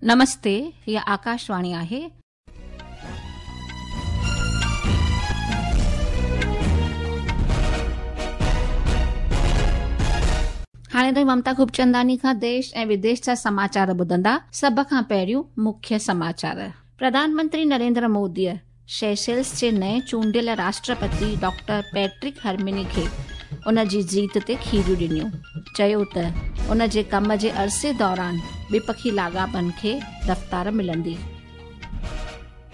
नमस्ते, हीअ आकाशवाणी आहे. हाणे तव्हीं ममता खूबचंदानी खां देश ऐं विदेश जा समाचार ॿुधंदा। सभ खां पहिरियों मुख्य समाचार। प्रधानमंत्री नरेंद्र मोदीअ सेशेल्स जे नए चूंडियल राष्ट्रपति डॉक्टर पैट्रिक हर्मिनी खे उन जी जीत ते खीरियूं ॾिनियूं। चयो त उन जे कम जे अरसे दौरान ॿिपखी लाॻापनि खे रफ़्तार मिलंदी।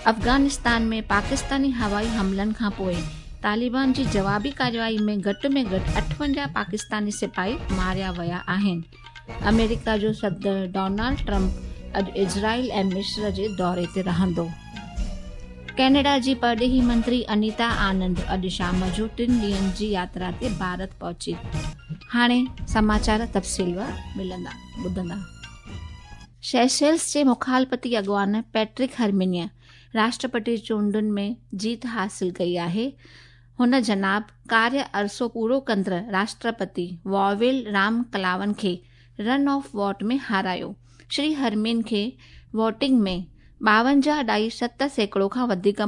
अफ़ग़ानिस्तान में पाकिस्तानी हवाई हमलनि खां पोइ तालिबान जी जवाबी कार्रवाई में घटि में घटि 58 पाकिस्तानी सिपाही मारिया विया आहिनि। अमेरिका जो सदर डोनाल्ड ट्रंप अॼु इज़राइल ऐं मिस्र जे दौरे ते रहंदो। कैनेडा जी परॾेही मंत्री अनीता आनंद अॼु शाम जो 3 ॾींहंनि जी यात्रा ते भारत पहुची। हाणे समाचार तफ़सील मिलंदा ॿुधंदा। सेशेल्स जे मुखालपति अॻवान पैट्रिक हर्मिनीअ राष्ट्रपति चूंडुनि में जीत हासिल कई आहे। हुन जनाब कार्य अरसो पूरो कंदड़ राष्ट्रपति वॉवेल राम कलावन खे रन ऑफ वोट में हारायो। श्री हरमीन खे वोटिंग में 52.7% खां वधीक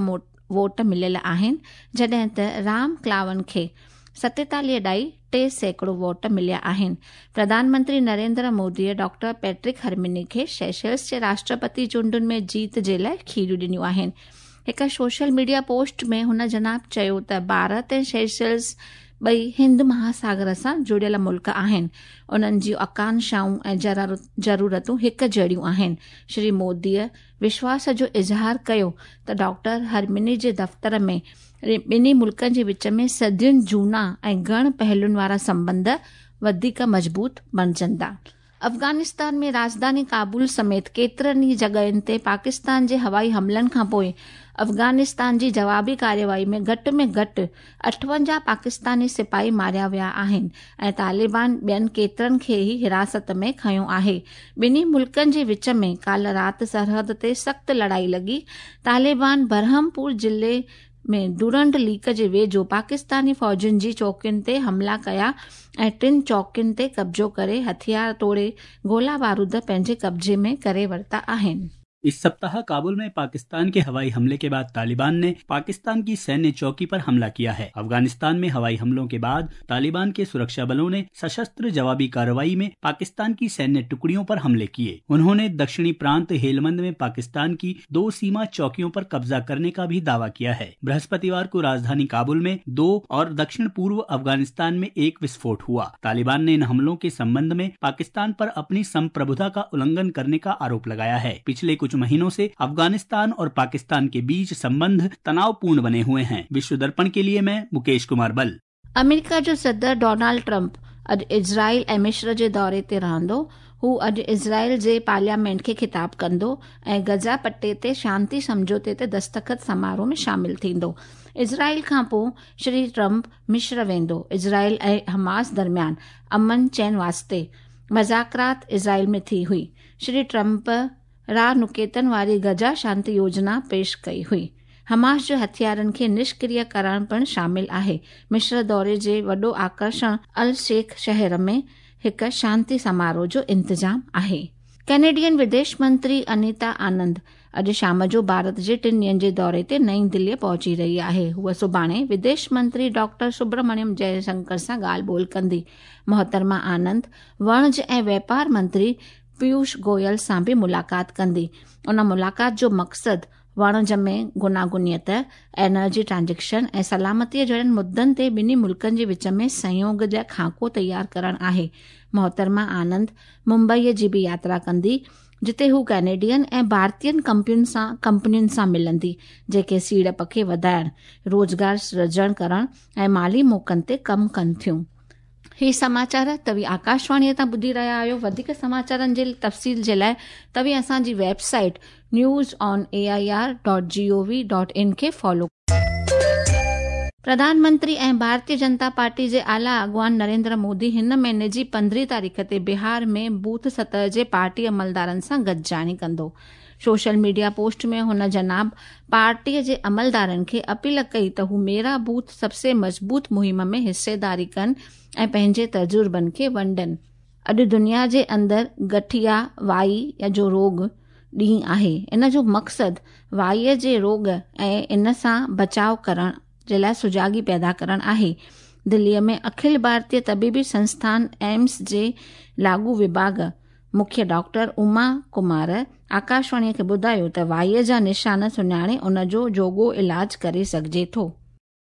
वोट मिलियल आहिनि, जॾहिं त राम क्लावन खे 47.3% वोट मिलिया आहिनि। प्रधानमंत्री नरेंद्र मोदीअ डॉक्टर पैट्रिक हर्मिनी खे सेशेल्स जे राष्ट्रपति चूंडुनि में जीत जे लाइ खीरियूं ॾिनियूं आहिनि। हिकु सोशल मीडिया पोस्ट में हुन जनाब चयो त भारत ऐं सेशेल्स ॿई हिंद महासागर सां जुड़ियल मुल्क आहिनि, उन्हनि जूं आकांक्षाऊं ऐं ज़रूरतूं हिकु जहिड़ियूं आहिनि। श्री मोदीअ विश्वास जो इज़हार कयो त डॉक्टर हर्मिनी जे दफ़्तर में ॿिन्ही मुल्कनि जे विच में सदियुनि जूना ऐं घण पहलुनि वारा संबंध वधीक मज़बूत बणिजंदा। अफ़ग़ानिस्तान में राजधानी काबुल समेत केतिरनि ई जॻहियुनि ते पाकिस्तान जे हवाई हमलनि खां पोइ अफ़ग़ानिस्तान जी जवाबी कार्रवाई में घटि 58 पाकिस्तानी सिपाही मारिया विया आहिनि ऐं तालिबान ॿियनि केतिरनि खे ई हिरासत में खयो आहे। ॿिन्ही मुल्कनि जे विच में काल्ह राति सरहद ते सख़्तु लड़ाई लॻी। तालिबान बरहमपुर ज़िले में डुरंड लीक जे वेझो पाकिस्तानी फ़ौजुनि जी चौकियुनि ते हमला कया ऐं 3 चौकियुनि ते कब्ज़ो करे हथियार तोड़े गोला बारूद पंहिंजे कब्ज़े में करे वरिता आहिनि। इस सप्ताह काबुल में पाकिस्तान के हवाई हमले के बाद तालिबान ने पाकिस्तान की सैन्य चौकी पर हमला किया है। अफगानिस्तान में हवाई हमलों के बाद तालिबान के सुरक्षा बलों ने सशस्त्र जवाबी कार्रवाई में पाकिस्तान की सैन्य टुकड़ियों पर हमले किए। उन्होंने दक्षिणी प्रांत हेलमंद में पाकिस्तान की 2 सीमा चौकियों पर कब्जा करने का भी दावा किया है। बृहस्पतिवार को राजधानी काबुल में 2 और दक्षिण पूर्व अफगानिस्तान में 1 विस्फोट हुआ। तालिबान ने इन हमलों के संबंध में पाकिस्तान पर अपनी संप्रभुता का उल्लंघन करने का आरोप लगाया है। पिछले कुछ महीनों से अफगानिस्तान और पाकिस्तान के बीच संबंध तनावपूर्ण बने हुए हैं। विश्व दर्पण के लिए मैं मुकेश कुमार बल। अमेरिका जो सदर डोनाल्ड ट्रंप अॼु इज़राइल ऐं मिस्र जे दौरे ते रहंदो। हू अॼु इज़राइल जे पार्लियामेंट खे ख़िताब कंदो ऐं गज़ा पट्टे ते शांति सम्झौते ते दस्तख़त समारोह में शामिल थींदो। इज़राइल खां पोइ श्री ट्रंप मिस्र वेंदो। इज़राइल ऐं हमास दरमियान अमन चैन वास्ते मुज़ाकरात इज़राइल में थी हुई। श्री ट्रंप रा नुकेतन वारी गज़ा शांति योजना पेश कई हुई। हमास जो हथियारनि खे निष्क्रिय करण पिणु शामिल आहे। मिस्र दौरे जे वॾो आकर्षण अल शेख शहर में हिकु शांति समारोह जो इंतज़ाम आहे। कैनेडियन विदेश मंत्री अनीता आनंद अॼु शाम जो भारत जे 3 ॾींहंनि जे दौरे ते नई दिल्लीअ पहुची रही आहे। हूअ सुभाणे विदेश मंत्री डॉक्टर सुब्रमण्यम जयशंकर सां ॻाल्हि ॿोल कंदी। मोहतरमा आनंद वणज ऐं व्यापार मंत्री पीयूष गोयल सां बि मुलाक़ात कंदी। उन मुलाक़ात जो मक़सदु वाणिज्य में गुनागुनियत, एनर्जी ट्रांज़िशन ऐं सलामतीअ जहिड़नि मुद्दनि ते ॿिन्ही मुल्कनि जे विच में सहयोग जा खाको तयारु करणु आहे। मोहतरमा आनंद मुंबईअ जी बि यात्रा कंदी, जिते हू कैनेडियन ऐं भारतीय कंपनियुनि सां मिलंदी, जेके सीड़प खे वधाइण, रोज़गार सृजण करण ऐं माली मौक़नि ते कमु कनि थियूं। ही समाचार तव्हीं आकाशवाणीअ तां ॿुधी रहिया आहियो। वधीक समाचारनि जे तफ़सील जे लाइ तव्हीं असांजी वेबसाइट newsonair.gov.in खे फॉलो। प्रधानमंत्री ऐं भारतीय जनता पार्टी जे आला अॻवान नरेंद्र मोदी हिन महीने जी 15 तारीख़ ते बिहार में बूथ सतह जे पार्टी अमलदारनि सां गॾिजाणी कंदो। सोशल मीडिया पोस्ट में हुन जनाब पार्टीअ जे अमलदारनि खे अपील कई त हू मेरा बूथ सबसे मज़बूत मुहिम में हिस्सेदारी कनि ऐं पंहिंजे तजुर्बनि खे वंडनि। अॼु दुनिया जे अंदरि गठिया, वाई या जो रोग ॾींहुं आहे। इन जो मक़सदु वाईअ जे रोग ऐं इन सां बचाव करण जे लाइ सुजागी पैदा करण आहे। दिल्लीअ में अखिल भारतीय तबीबी संस्थान एम्स जे लागू विभाग मुख्य डॉक्टर उमा कुमार आकाशवाणीअ खे ॿुधायो त वाईअ जा निशान सुञाणे उन जो जोॻो इलाज करे सघिजे थो।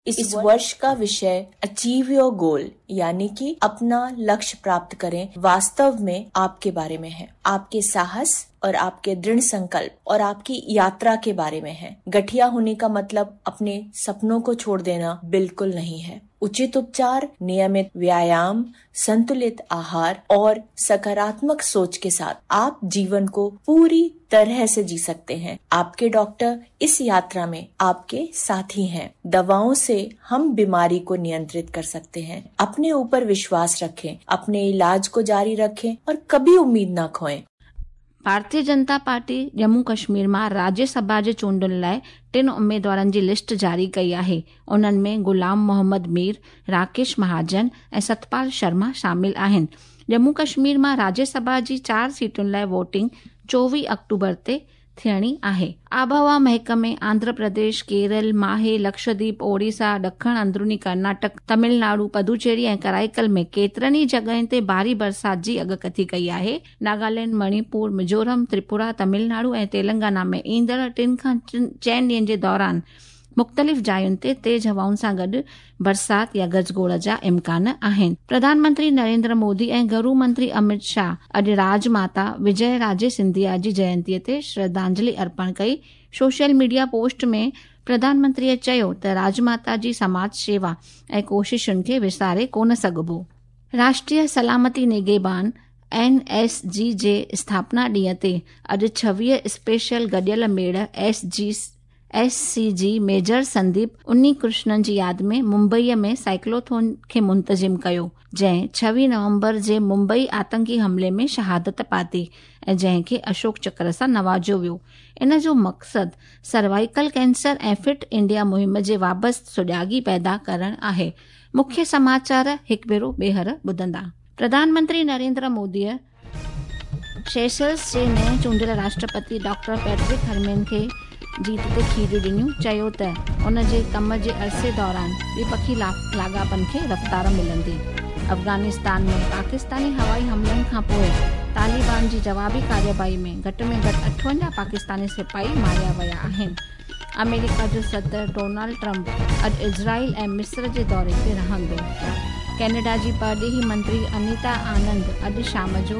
इस वर्ष का विषय अचीव your goal यानी कि अपना लक्ष्य प्राप्त करें वास्तव में आपके बारे में है, आपके साहस और आपके दृढ़ संकल्प और आपकी यात्रा के बारे में है। गठिया होने का मतलब अपने सपनों को छोड़ देना बिल्कुल नहीं है। उचित उपचार, नियमित व्यायाम, संतुलित आहार और सकारात्मक सोच के साथ आप जीवन को पूरी तरह से जी सकते हैं। आपके डॉक्टर इस यात्रा में आपके साथी हैं। दवाओं से हम बीमारी को नियंत्रित कर सकते हैं। अपने ऊपर विश्वास रखें, अपने इलाज को जारी रखें और कभी उम्मीद न खोएं। भारतीय जनता पार्टी जम्मू कश्मीर मां राज्यसभा जे चूंडुनि लाइ टिनि उमेदवारनि जी लिस्ट जारी कई आहे। उन्हनि में गुलाम मोहम्मद मीर, राकेश महाजन ऐं सतपाल शर्मा शामिल आहिनि। जम्मू कश्मीर मां राज्यसभा जी 4 सीटुनि लाइ वोटिंग 24 अक्टूबर ते थियणी आहे। आबहवा महकमे आंध्र प्रदेश, केरल, माहे, लक्षद्वीप, ओडिशा, ॾखण अंदरूनी कर्नाटक, तमिलनाडु, पुदुचेरी ऐं कराईकल में केतिरनि ई जॻहियुनि ते भारी बरसाति जी अॻकथी कई आहे। नागालैंड, मणिपुर, मिज़ोरम, त्रिपुरा, तमिलनाडु ऐं तेलंगाना में ईंदड़ 3 खां 4 ॾींहंनि जे दौरान मुख़्तलिफ़ जायुनि ते तेज़ हवाउनि सां गॾु बरसाति या गजगोड़ जा इम्कान आहिनि। प्रधानमंत्री नरेंद्र मोदी ऐं गृह मंत्री अमित शाह अॼु राजमाता विजय राजे सिंधिया जी जयंतीअ ते श्रद्धांजलि अर्पण कई। सोशल मीडिया पोस्ट में प्रधानमंत्रीअ चयो त राजमाता जी समाज सेवा ऐं कोशिशुनि खे विसारे कोन सघिबो। राष्ट्रीय सलामती निगेबान NSG जे स्थापना ॾींहं ते अॼु 26 स्पेशल गॾियल मेड़ SCG major Sandeep उन्नी कृष्णन जी यादि में मुंबईअ में साइक्लोथॉन खे मुंतज़िम कयो, जंहिं 26 नवंबर जे मुंबई आतंकी हमले में शहादत पाती ऐं जंहिंखे अशोक चक्र सां नवाज़ियो वियो। इन जो मक़सदु सर्वाइकल कैंसर ऐं फिट इंडिया मुहिम जे वाबस्त सुजागी पैदा करण आहे। मुख्य समाचार हिकु भेरो ॿीहर ॿुधंदा। प्रधानमंत्री नरेंद्र मोदीअ सेशल्स जे नए चूंडियल राष्ट्रपति डॉक्टर पैट्रिक हरमेन खे जीत ते खीर ॾिनियूं, चयो त उन जे कम जे अरसे दौरान द्विपक्षी लाॻापनि खे रफ़्तार मिलंदी। अफ़गानिस्तान में पाकिस्तानी हवाई हमलनि खां पोइ तालिबान जी जवाबी कार्रवाई में घटि में घटि 58 पाकिस्तानी सिपाही मारिया विया आहिनि। अमेरिका जो सदर डोनाल्ड ट्रंप अॼु इज़राइल ऐं मिस्र जे दौरे ते रहंदो। कैनेडा जी परॾेही मंत्री अनीता आनंद अॼु शाम जो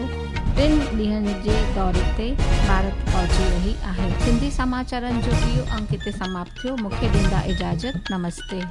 3 ॾींहंनि जे दौरे ते भारत पहुची रही आहे। सिंधी समाचारनि जो इहो अंक हिते समाप्त थियो। मूंखे ॾींदा इजाज़त। नमस्ते।